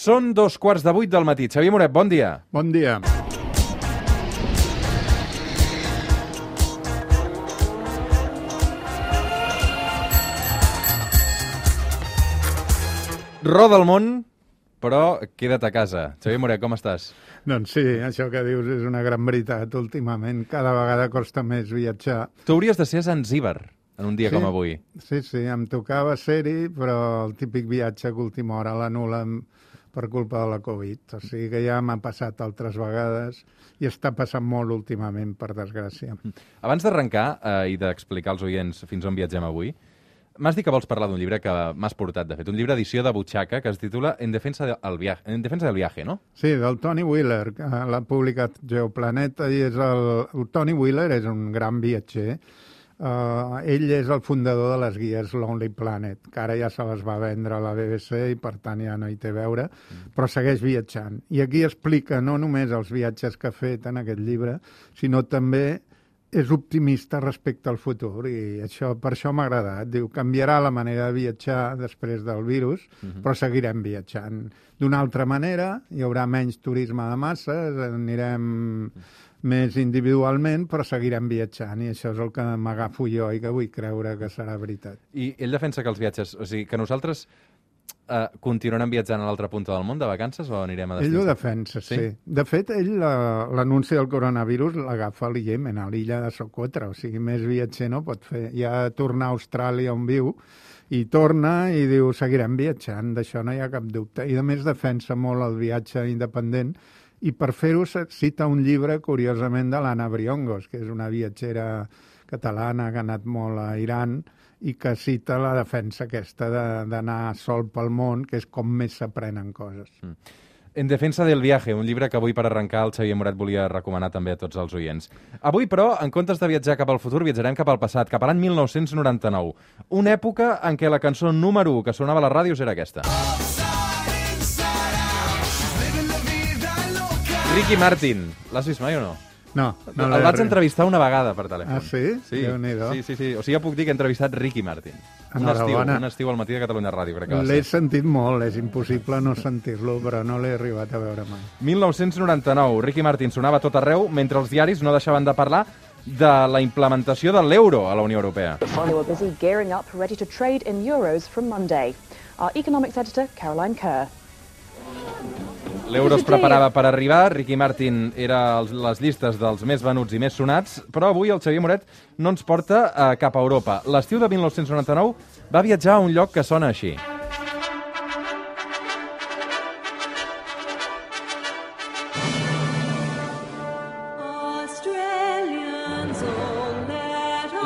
Són 2:15 del matí. Xavier Moret, bon dia. Bon dia. Roda el món, però queda't a casa. Xavier Moret, com estàs? Doncs sí, això que dius és una gran veritat últimament. Cada vegada costa més viatjar. Tu hauries de ser a Zanzíbar en un dia com avui. Sí, em tocava ser-hi, però el típic viatge que a última hora l'anul·len per culpa de la Covid. O sigui que ja m'ha passat altres vegades i està passant molt últimament, per desgràcia. Abans d'arrencar i d'explicar als oients fins on viatgem avui, m'has dit que vols parlar d'un llibre que m'has portat, de fet, un llibre edició de butxaca que es titula En defensa del viaje, no? Sí, del Tony Wheeler, que l'ha publicat Geoplaneta, i el Tony Wheeler és un gran viatger. Ell és el fundador de les guies Lonely Planet, que ara ja se les va vendre a la BBC i per tant ja no hi té a veure, però segueix viatjant. I aquí explica no només els viatges que ha fet en aquest llibre, sinó també és optimista respecte al futur i per això m'ha agradat. Diu, canviarà la manera de viatjar després del virus, però seguirem viatjant. D'una altra manera, hi haurà menys turisme de masses, anirem més individualment, però seguirem viatjant i això és el que m'agafo jo i que vull creure que serà veritat. I ell defensa que els viatges, o sigui, que nosaltres continuarem viatjant a l'altra punta del món de vacances o anirem a destins? Ell ho defensa, sí. De fet, ell l'anunci del coronavirus l'agafa al Iemen, a l'illa de Socotra, o sigui, més viatger no pot fer. Ja torna a Austràlia on viu i torna i diu, seguirem viatjant, d'això no hi ha cap dubte. I a més defensa molt el viatge independent i per fer-ho cita un llibre, curiosament, de l'Anna Briongos, que és una viatgera catalana que ha anat molt a Iran i que cita la defensa aquesta d'anar sol pel món, que és com més s'aprenen coses. En defensa del viaje, un llibre que avui per arrencar el Xavier Moret volia recomanar també a tots els oients. Avui, però, en comptes de viatjar cap al futur, viatjarem cap al passat, cap a l'any 1999. Una època en què la cançó número 1 que sonava a les ràdios era aquesta. Ricky Martin. L'has vist mai o no? No el vaig entrevistar una vegada per telèfon. Ah, sí? Sí. Déu-n'hi-do. Sí. O sigui, ja puc dir que he entrevistat Ricky Martin. Un estiu al matí de Catalunya Ràdio, crec que va ser. L'he sentit molt, és impossible no sentir-lo, però no l'he arribat a veure mai. 1999, Ricky Martin sonava a tot arreu mentre els diaris no deixaven de parlar de la implementació de l'euro a la Unió Europea. They were busy gearing up, ready to trade in euros from Monday. Our economics editor, Caroline Kerr. L'euro es preparava per arribar, Ricky Martin era a les llistes dels més venuts i més sonats, però avui el Xavier Moret no ens porta cap a Europa. L'estiu de 1999 va viatjar a un lloc que sona així.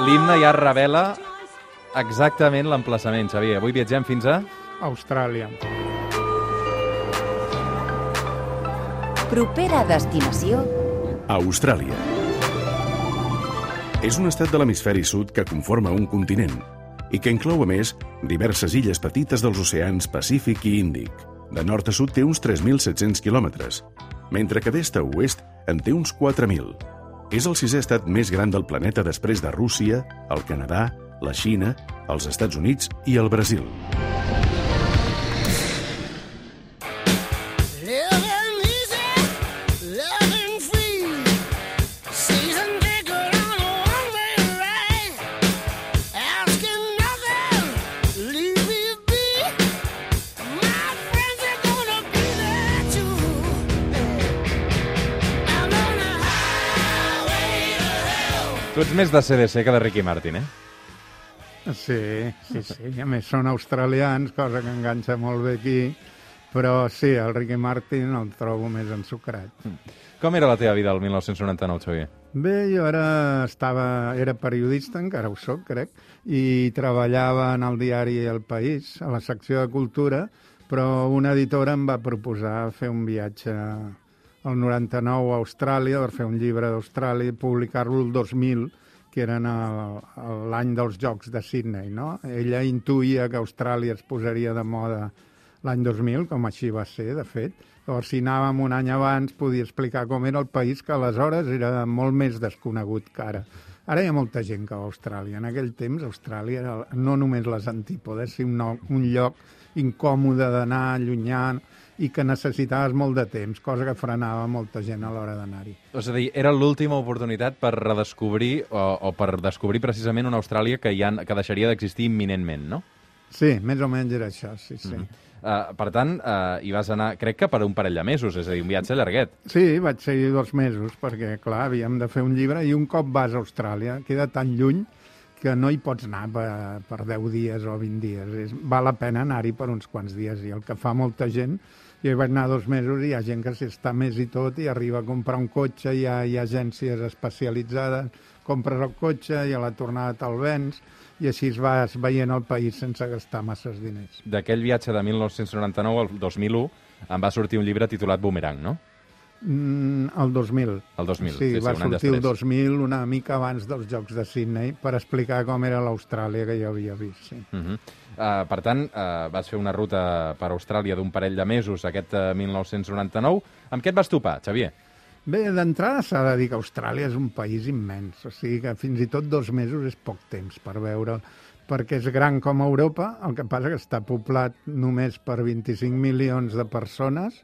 L'himne ja revela exactament l'emplaçament, Xavier. Avui viatgem fins a Austràlia. Propera destinació... Austràlia. És un estat de l'hemisferi sud que conforma un continent i que inclou, a més, diverses illes petites dels oceans Pacífic i Índic. De nord a sud té uns 3.700 quilòmetres, mentre que d'est a oest en té uns 4.000. És el 6è estat més gran del planeta després de Rússia, el Canadà, la Xina, els Estats Units i el Brasil. Tu ets més de CDC que de Ricky Martin, eh? Sí. A més, són australians, cosa que enganxa molt bé aquí, però sí, el Ricky Martin el trobo més ensucrat. Com era la teva vida el 1999, Xavier? Bé, jo era periodista, encara ho soc, crec, i treballava en el diari El País, a la secció de cultura, però una editora em va proposar fer un viatge al 99 a Austràlia, per fer un llibre d'Austràlia i publicar-lo el 2000, que eren l'any dels Jocs de Sydney, no? Ella intuïa que Austràlia es posaria de moda l'any 2000, com així va ser, de fet. Llavors, si anàvem un any abans, podia explicar com era el país, que aleshores era molt més desconegut que ara. Ara hi ha molta gent que va a Austràlia. En aquell temps, Austràlia era no només les antípodes, sinó un lloc incòmode d'anar, llunyà, i que necessitaves molt de temps, cosa que frenava molta gent a l'hora d'anar-hi. És a dir, era l'última oportunitat per redescobrir o per descobrir precisament una Austràlia que deixaria d'existir imminentment, no? Sí, més o menys era això, sí. Per tant, hi vas anar, crec que per un parell de mesos, és a dir, un viatge llarguet. Sí, vaig ser 2 mesos, perquè, clar, havíem de fer un llibre, i un cop vas a Austràlia, queda tan lluny que no hi pots anar per 10 dies o 20 dies. Val la pena anar-hi per uns quants dies, i el que fa molta gent, jo hi vaig anar 2 mesos i hi ha gent que s'hi està més i tot i arriba a comprar un cotxe, hi ha agències especialitzades, compres el cotxe i a la tornada te'l vens, i així vas veient el país sense gastar masses diners. D'aquell viatge de 1999 al 2001 em va sortir un llibre titulat Boomerang, no? El 2000. El 2000, sí, un va any sortir el després. 2000, una mica abans dels Jocs de Sydney, per explicar com era l'Austràlia que jo havia vist. Sí. Per tant, vas fer una ruta per Austràlia d'un parell de mesos, aquest 1999. Amb què et vas topar, Xavier? Bé, d'entrada s'ha de dir que Austràlia és un país immens, o sigui que fins i tot 2 mesos és poc temps per veure'l, perquè és gran com Europa, el que passa que està poblat només per 25 milions de persones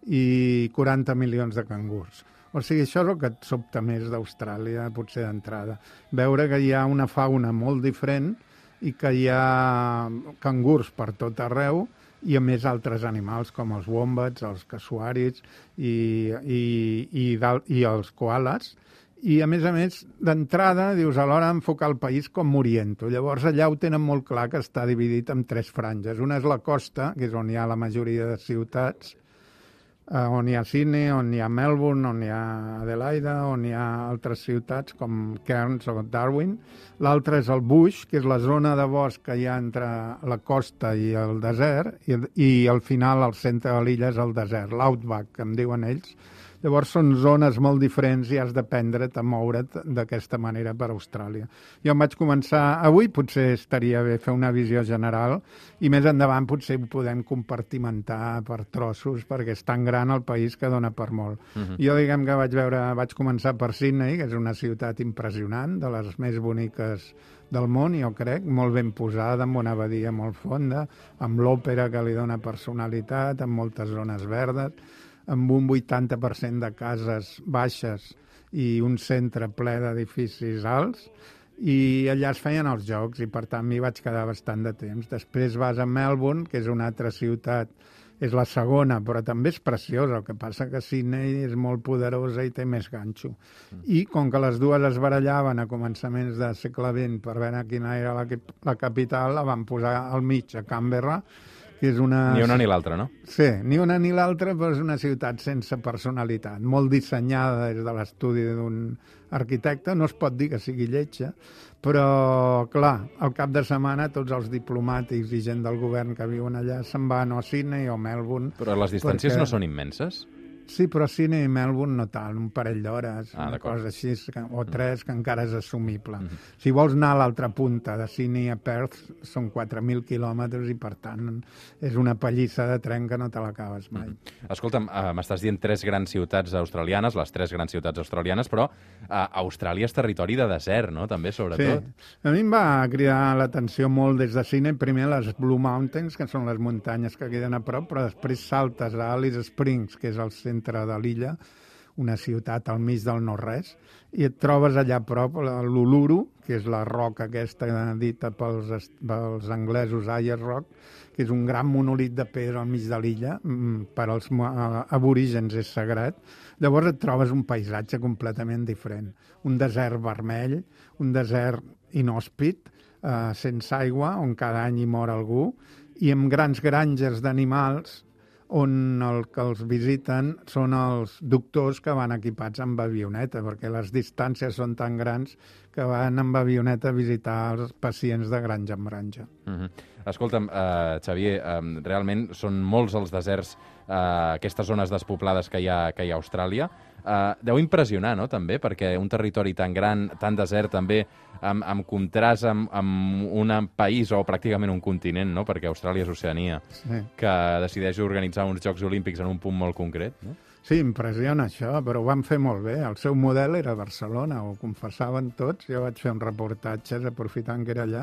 i 40 milions de cangurs. O sigui, això és el que et sobta més d'Austràlia, potser d'entrada. Veure que hi ha una fauna molt diferent i que hi ha cangurs per tot arreu, i a més altres animals com els wombats, els casuàrids i els koalas. I a més, d'entrada, dius, a l'hora d'enfocar el país com m'oriento. Llavors, allà ho tenen molt clar que està dividit en 3 franges. Una és la costa, que és on hi ha la majoria de ciutats, on hi ha Sydney, on hi ha Melbourne, on hi ha Adelaida, on hi ha altres ciutats com Cairns o Darwin. L'altra és el bush, que és la zona de bosc que hi ha entre la costa i el desert, i al final, al centre de l'illa, és el desert, l'outback, que em diuen ells. Llavors són zones molt diferents i has d'aprendre't a moure't d'aquesta manera per Austràlia. Jo em vaig començar... Avui potser estaria bé fer una visió general i més endavant potser ho podem compartimentar per trossos perquè és tan gran el país que dona per molt. Jo diguem que vaig començar per Sydney, que és una ciutat impressionant, de les més boniques del món, jo crec, molt ben posada, amb una abadia molt fonda, amb l'òpera que li dona personalitat, amb moltes zones verdes, amb un 80% de cases baixes i un centre ple d'edificis alts, i allà es feien els jocs, i per tant m'hi vaig quedar bastant de temps. Després vas a Melbourne, que és una altra ciutat, és la segona, però també és preciosa, el que passa que Sydney és molt poderosa i té més ganxo. I com que les dues es barallaven a començaments del segle XX per veure quina era la capital, la van posar al mig, a Canberra, que és una... Ni una ni l'altra, no? Sí, ni una ni l'altra, però és una ciutat sense personalitat, molt dissenyada des de l'estudi d'un arquitecte, no es pot dir que sigui lletja, però, clar, al cap de setmana tots els diplomàtics i gent del govern que viuen allà se'n van o a Sydney o a Melbourne. Però les distàncies no són immenses? Sí, però Sydney i Melbourne no tant, un parell d'hores, una d'acord. cosa així, o 3, que encara és assumible. Si vols anar a l'altra punta, de Sydney a Perth, són 4.000 quilòmetres i, per tant, és una pallissa de tren que no te l'acabes mai. Escolta'm, m'estàs dient 3 grans ciutats australianes, les 3 grans ciutats australianes, però Austràlia és territori de desert, no?, també, sobretot. Sí. A mi em va cridar l'atenció molt des de Sydney, primer les Blue Mountains, que són les muntanyes que queden a prop, però després saltes a Alice Springs, que és el centre de l'illa, una ciutat al mig del no-res, i et trobes allà a prop l'Uluru, que és la roca aquesta dita pels anglesos Ayers Rock, que és un gran monolit de pedra al mig de l'illa, per als aborígens és sagrat. Llavors et trobes un paisatge completament diferent. Un desert vermell, un desert inhòspit, sense aigua, on cada any hi mor algú, i amb grans granges d'animals on el que els visiten són els doctors que van equipats amb avioneta, perquè les distàncies són tan grans que van amb avioneta a visitar els pacients de granja en granja. Escolta'm, Xavier, realment són molts els deserts, aquestes zones despoblades que hi ha a Austràlia. Deu impressionar, no?, també, perquè un territori tan gran, tan desert, també, amb contrast amb un país o pràcticament un continent, no?, perquè Austràlia és Oceania, Sí. que decideix organitzar uns Jocs Olímpics en un punt molt concret, no? Sí, impressiona això, però ho van fer molt bé. El seu model era Barcelona, ho confessaven tots. Jo vaig fer un reportatge aprofitant que era allà.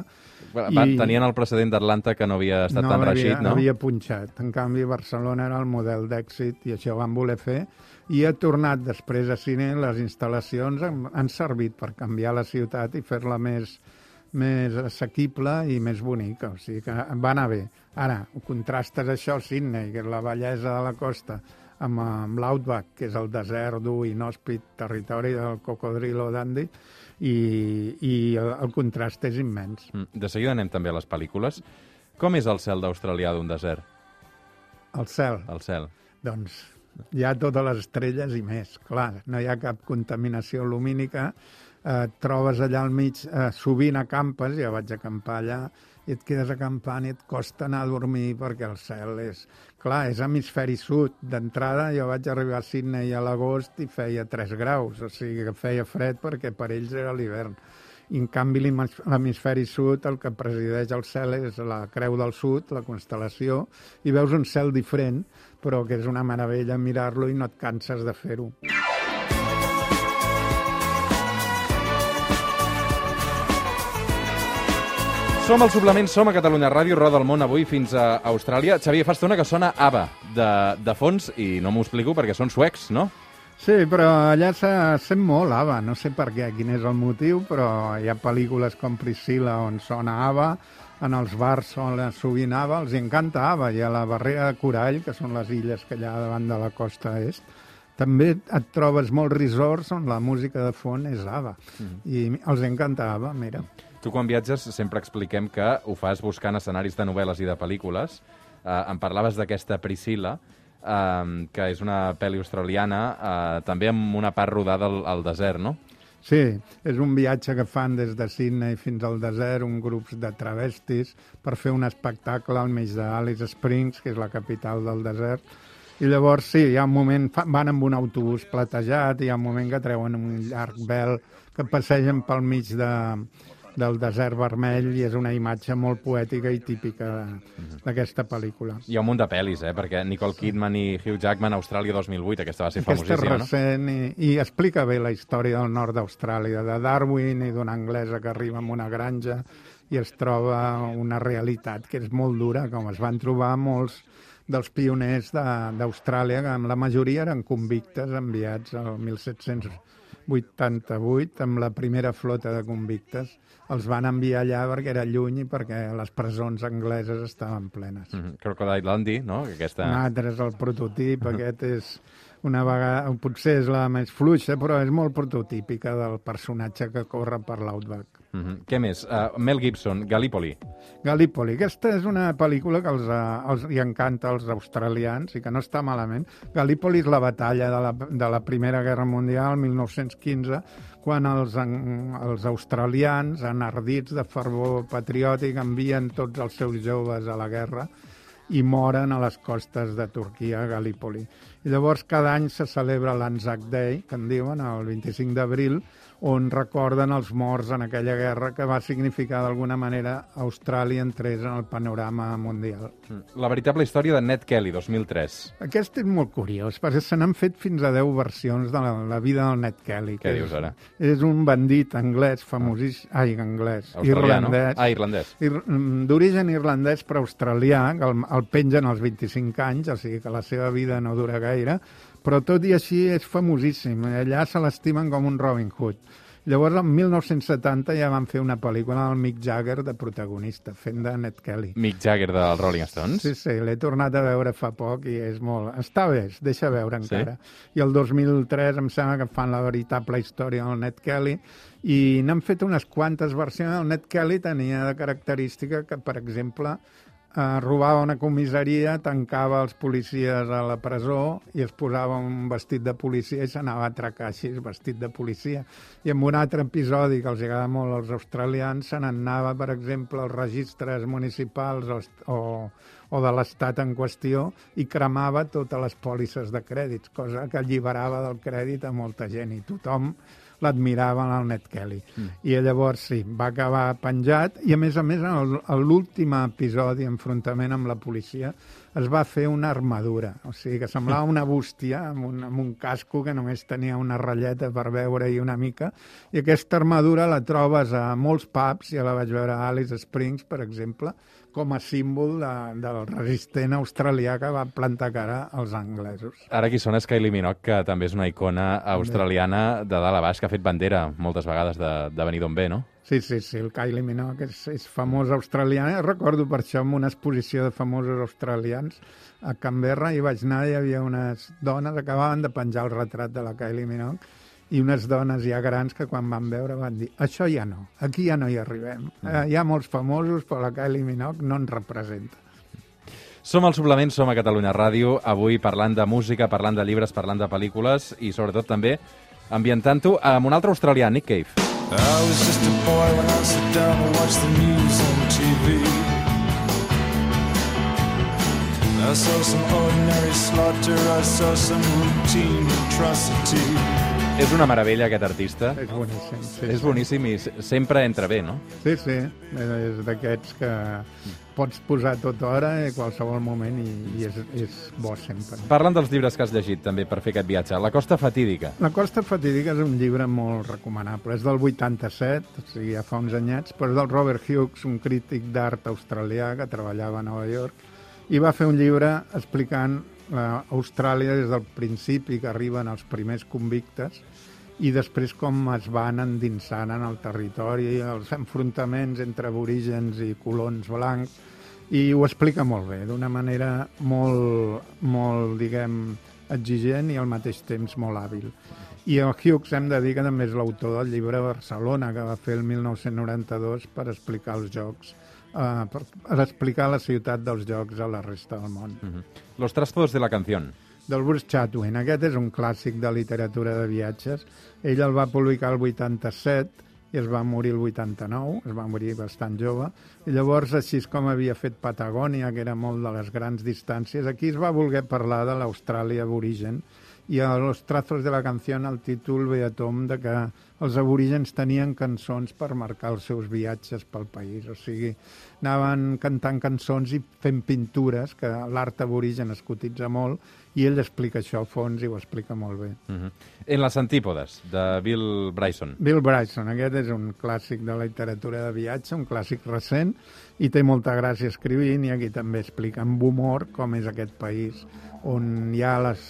Tenien el precedent d'Atlanta que no havia estat tan reixit, no? No havia punxat. En canvi, Barcelona era el model d'èxit i això ho van voler fer. I ha tornat després a cine. Les instal·lacions han servit per canviar la ciutat i fer-la més assequible i més bonica. O sigui que va anar bé. Ara, contrastes això, Sydney, que és la bellesa de la costa, amb l'Outback, que és el desert dur, inhòspit, territori del cocodrilo dandy, i el contrast és immens. De seguida anem també a les pel·lícules. Com és el cel d'Australià d'un desert? El cel? El cel. Doncs hi ha totes les estrelles i més. Clar, no hi ha cap contaminació lumínica. Et trobes allà al mig, sovint acampes, ja vaig acampar allà, i et quedes acampant i et costa anar a dormir perquè el cel és... Clar, és hemisferi sud. D'entrada jo vaig arribar a Sydney a l'agost i feia 3 graus, o sigui que feia fred perquè per ells era l'hivern. I en canvi l'hemisferi sud el que presideix el cel és la Creu del Sud, la constel·lació, i veus un cel diferent, però que és una meravella mirar-lo i no et canses de fer-ho. Som al Suplement, som a Catalunya Ràdio, roda el món avui fins a Austràlia. Xavier, fa estona que sona ABBA de fons i no m'ho explico perquè són suecs, no? Sí, però allà se sent molt ABBA, no sé per què, quin és el motiu, però hi ha pel·lícules com Priscilla on sona ABBA, en els bars sona sovint ABBA, els encanta ABBA, i a la barrera de Corall, que són les illes que hi ha davant de la costa est, també et trobes molts resorts on la música de fons és ABBA, i els encanta ABBA, mira. Tu quan viatges sempre expliquem que ho fas buscant escenaris de novel·les i de pel·lícules. Em parlaves d'aquesta Priscilla, que és una pel·li australiana, també amb una part rodada al desert, no? Sí, és un viatge que fan des de Sydney fins al desert, un grup de travestis, per fer un espectacle al mig d'Alice Springs, que és la capital del desert. I llavors, sí, hi ha un moment, van amb un autobús platejat, i hi ha un moment que treuen un llarg vel que passegen pel mig del desert vermell, i és una imatge molt poètica i típica d'aquesta pel·lícula. Hi ha un munt de pel·lis, perquè Nicole Kidman i Hugh Jackman a Austràlia 2008, aquesta va ser famosíssima, no? Aquesta és recent i explica bé la història del nord d'Austràlia, de Darwin i d'una anglesa que arriba a una granja i es troba una realitat que és molt dura, com es van trobar molts dels pioners d'Austràlia, que la majoria eren convictes enviats al 1788 amb la primera flota de convictes. Els van enviar allà perquè era lluny i perquè les presons angleses estaven plenes. Crocodile Dundee, no? Aquesta... Un altre és el prototip, aquest és una vegada, potser és la més fluixa, però és molt prototípica del personatge que corre per l'Outback. Què més? Mel Gibson, Gallipoli. Gallipoli. Aquesta és una pel·lícula que els encanta als australians i que no està malament. Gallipoli és la batalla de la Primera Guerra Mundial, 1915, quan els australians, enardits de fervor patriòtic, envien tots els seus joves a la guerra i moren a les costes de Turquia, a Gallipoli. I llavors cada any se celebra l'Anzac Day, que en diuen, el 25 d'abril, on recorden els morts en aquella guerra que va significar d'alguna manera Austràlia entrés en el panorama mundial. La veritable història de Ned Kelly, 2003. Aquest és molt curiós, perquè se n'han fet fins a 10 versions de la vida del Ned Kelly. Què dius ara? És un bandit anglès famosíssim, irlandès. D'origen irlandès però australià, que el pengen als 25 anys, o sigui que la seva vida no dura gaire, però tot i així és famosíssim. Allà se l'estimen com un Robin Hood. Llavors, en 1970 ja van fer una pel·lícula amb el Mick Jagger de protagonista, fent de Ned Kelly. Mick Jagger dels Rolling Stones? Sí, l'he tornat a veure fa poc i és molt... Està bé, es deixa veure encara. Sí? I el 2003 em sembla que fan la veritable història del Ned Kelly i n'han fet unes quantes versions. El Ned Kelly tenia de característica que, per exemple, robava una comissaria, tancava els policies a la presó i es posava un vestit de policia i s'anava a atracar així, vestit de policia. I en un altre episodi que els agrada molt als australians, se n'anava, per exemple, als registres municipals o de l'estat en qüestió i cremava totes les pòlisses de crèdits, cosa que alliberava del crèdit a molta gent i tothom l'admiraven al Ned Kelly. I llavors sí, va acabar penjat i a més, en l'últim episodi, enfrontament amb la policia, es va fer una armadura, o sigui que semblava una bústia amb un casco que només tenia una ratlleta per veure-hi una mica, i aquesta armadura la trobes a molts pubs, ja la vaig veure a Alice Springs, per exemple, com a símbol del resistent australià que va plantar cara als anglesos. Ara aquí sona Kylie Minogue, que també és una icona australiana de dalt a baix, que ha fet bandera moltes vegades de venir d'on ve, no? Sí, el Kylie Minogue és famós australià. Recordo per això en una exposició de famosos australians a Canberra, i vaig anar, hi havia unes dones, acabaven de penjar el retrat de la Kylie Minogue, i unes dones ja grans que quan van veure van dir això ja no, aquí ja no hi arribem. Hi ha molts famosos, però la Kylie Minogue no ens representa. Som al Suplement, som a Catalunya Ràdio, avui parlant de música, parlant de llibres, parlant de pel·lícules i sobretot també ambientant-ho amb un altre australià, Nick Cave. I was just a boy when I sat down to watch the news on TV. I saw some ordinary slaughter, I saw some routine atrocity. És una meravella, aquest artista. És boníssim. Sí, És boníssim i sempre entra bé, no? Sí, és d'aquests que pots posar tota hora a qualsevol moment i és bo sempre. Parlant dels llibres que has llegit també per fer aquest viatge, La costa fatídica. La costa fatídica és un llibre molt recomanable. És del 87, o sigui, ja fa uns anyets, però és del Robert Hughes, un crític d'art australià que treballava a Nova York, i va fer un llibre explicant Austràlia des del principi, que arriben els primers convictes, i després com es van endinsant en el territori, els enfrontaments entre aborígens i colons blancs, i ho explica molt bé, d'una manera molt, diguem, exigent i al mateix temps molt hàbil. I el Hughes hem de dir que també és l'autor del llibre Barcelona, que va fer el 1992 per explicar els Jocs, per explicar la ciutat dels Jocs a la resta del món. Los trastos de la canción. Del Bruce Chatwin. Aquest és un clàssic de literatura de viatges. Ell el va publicar el 87 i es va morir el 89, es va morir bastant jove, i llavors, així com havia fet Patagònia, que era molt de les grans distàncies, aquí es va voler parlar de l'Austràlia aborigen, i a Los trazos de la canción el títol ve a tom de que els aborígens tenien cançons per marcar els seus viatges pel país, o sigui, anaven cantant cançons i fent pintures, que l'art aborigen es cotitza molt, i ell explica això a fons i ho explica molt bé. En las antípodes, de Bill Bryson. Bill Bryson, aquest és un clàssic de la literatura de viatge, un clàssic recent, i té molta gràcia escrivint, i aquí també explica amb humor com és aquest país, on hi ha les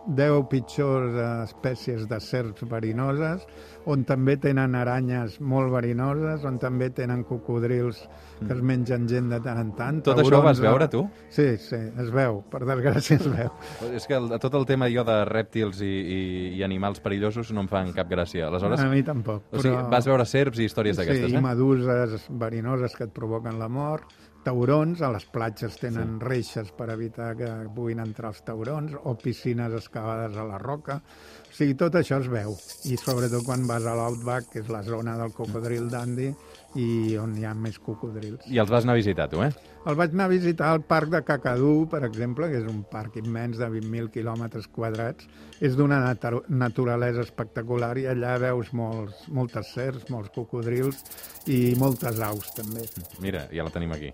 10 pitjors espècies de serps verinoses, on també tenen aranyes molt verinoses, on també tenen cocodrils que es mengen gent de tant en tant. Tot això ho vas veure, tu? Sí, es veu, per desgràcia es veu. És que tot el tema jo de rèptils i animals perillosos no em fan cap gràcia. Aleshores, a mi tampoc. O sigui, vas veure serps i històries d'aquestes, i meduses verinoses que et provoquen la mort, taurons, a les platges tenen reixes per evitar que puguin entrar els taurons, o piscines excavades a la roca. O sigui, tot això es veu. I sobretot quan vas a l'Outback, que és la zona del cocodril Dundee, i on hi ha més cocodrils. I els vas anar a visitar, tu, eh? El vaig anar a visitar al parc de Kakadu, per exemple, que és un parc immens de 20.000 quilòmetres quadrats. És d'una naturalesa espectacular i allà veus moltes serps, molts cocodrils i moltes aus, també. Mira, ja la tenim aquí.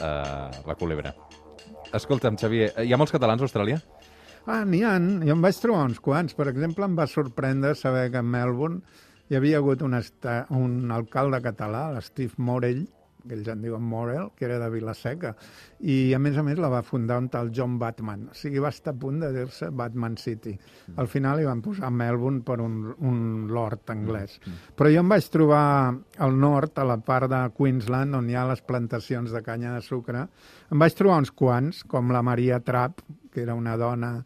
La culebra. Escolta'm, Xavier, hi ha molts catalans a Austràlia? N'hi ha. Jo em vaig trobar uns quants. Per exemple, em va sorprendre saber que a Melbourne hi havia hagut un alcalde català, l'Steve Morell, que ells en diuen Morell, que era de Vila-seca, i a més la va fundar un tal John Batman. O sigui, va estar a punt de dir-se Batman City. Al final hi van posar Melbourne per un lord anglès. Però jo em vaig trobar al nord, a la part de Queensland, on hi ha les plantacions de canya de sucre, em vaig trobar uns quants, com la Maria Trapp, que era una dona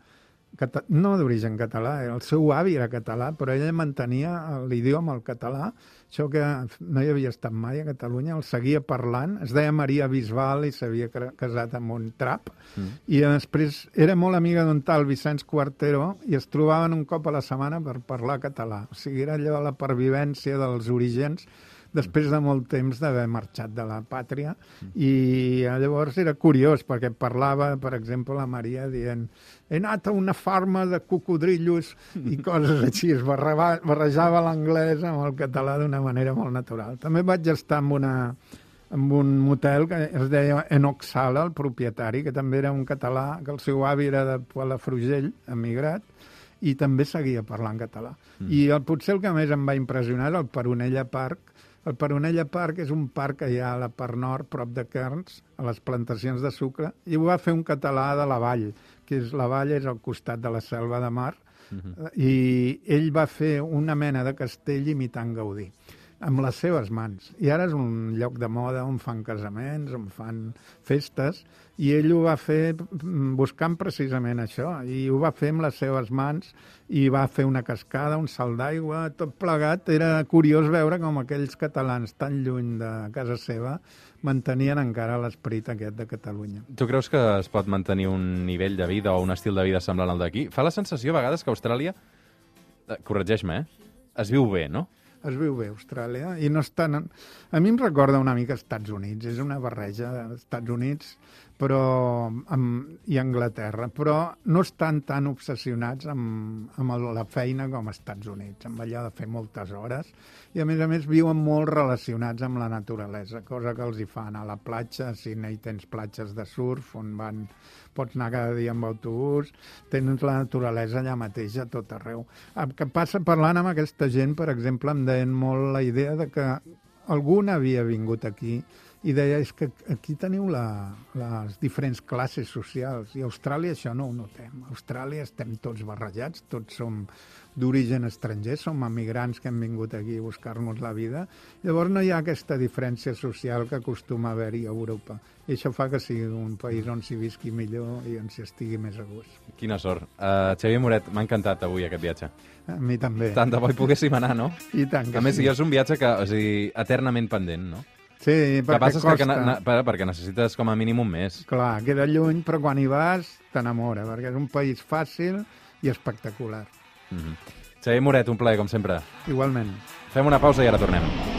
no d'origen català, el seu avi era català, però ella mantenia l'idioma, el català, això que no hi havia estat mai a Catalunya, el seguia parlant, es deia Maria Bisbal i s'havia casat amb un trap, i després era molt amiga d'un tal Vicenç Quartero i es trobaven un cop a la setmana per parlar català. O sigui, era allò la pervivència dels orígens després de molt temps d'haver marxat de la pàtria, i llavors era curiós perquè parlava, per exemple, la Maria dient he anat a una farma de cocodrillos i coses així, es barrejava l'anglès amb el català d'una manera molt natural. També vaig estar en amb un motel que es deia Enoch Sala, el propietari, que també era un català, que el seu avi era de Palafrugell, emigrat, i també seguia parlant català. I potser el que més em va impressionar és el Peronella Park. El Peronella Park és un parc que hi ha a la part nord, prop de Cairns, a les plantacions de sucre, i ho va fer un català de la Vall, que és la Vall és al costat de la Selva de Mar, i ell va fer una mena de castell imitant Gaudí, amb les seves mans. I ara és un lloc de moda on fan casaments, on fan festes, i ell ho va fer buscant precisament això, i ho va fer amb les seves mans, i va fer una cascada, un salt d'aigua, tot plegat. Era curiós veure com aquells catalans tan lluny de casa seva mantenien encara l'esperit aquest de Catalunya. Tu creus que es pot mantenir un nivell de vida o un estil de vida semblant al d'aquí? Fa la sensació a vegades que Austràlia, corregeix-me, es viu bé, no? Es viu bé, Austràlia, i no estan... A mi em recorda una mica Estats Units, és una barreja d'Estats Units i Anglaterra, però no estan tan obsessionats amb la feina com als Estats Units, amb allò de fer moltes hores, i a més viuen molt relacionats amb la naturalesa, cosa que els hi fa anar a la platja. A Sydney tens platges de surf on pots anar cada dia amb autobús, tens la naturalesa allà mateix a tot arreu. El que passa parlant amb aquesta gent, per exemple, em deien molt la idea de que algun havia vingut aquí i deia, és que aquí teniu les diferents classes socials, i a Austràlia això no ho notem. A Austràlia estem tots barrejats, tots som d'origen estranger, som emigrants que hem vingut aquí a buscar-nos la vida. Llavors no hi ha aquesta diferència social que acostuma a haver-hi a Europa. I això fa que sigui un país on s'hi visqui millor i on s'hi estigui més a gust. Quina sort. Xavier Moret, m'ha encantat avui aquest viatge. A mi també. Tant de bo hi poguéssim anar, no? I tant que a més, sí. És un viatge que, o sigui, eternament pendent, no? Sí, perquè costa. Perquè necessites com a mínim un mes. Clar, queda lluny, però quan hi vas t'enamora, perquè és un país fàcil i espectacular. Xavier Moret, un plaer, com sempre. Igualment. Fem una pausa i ara tornem.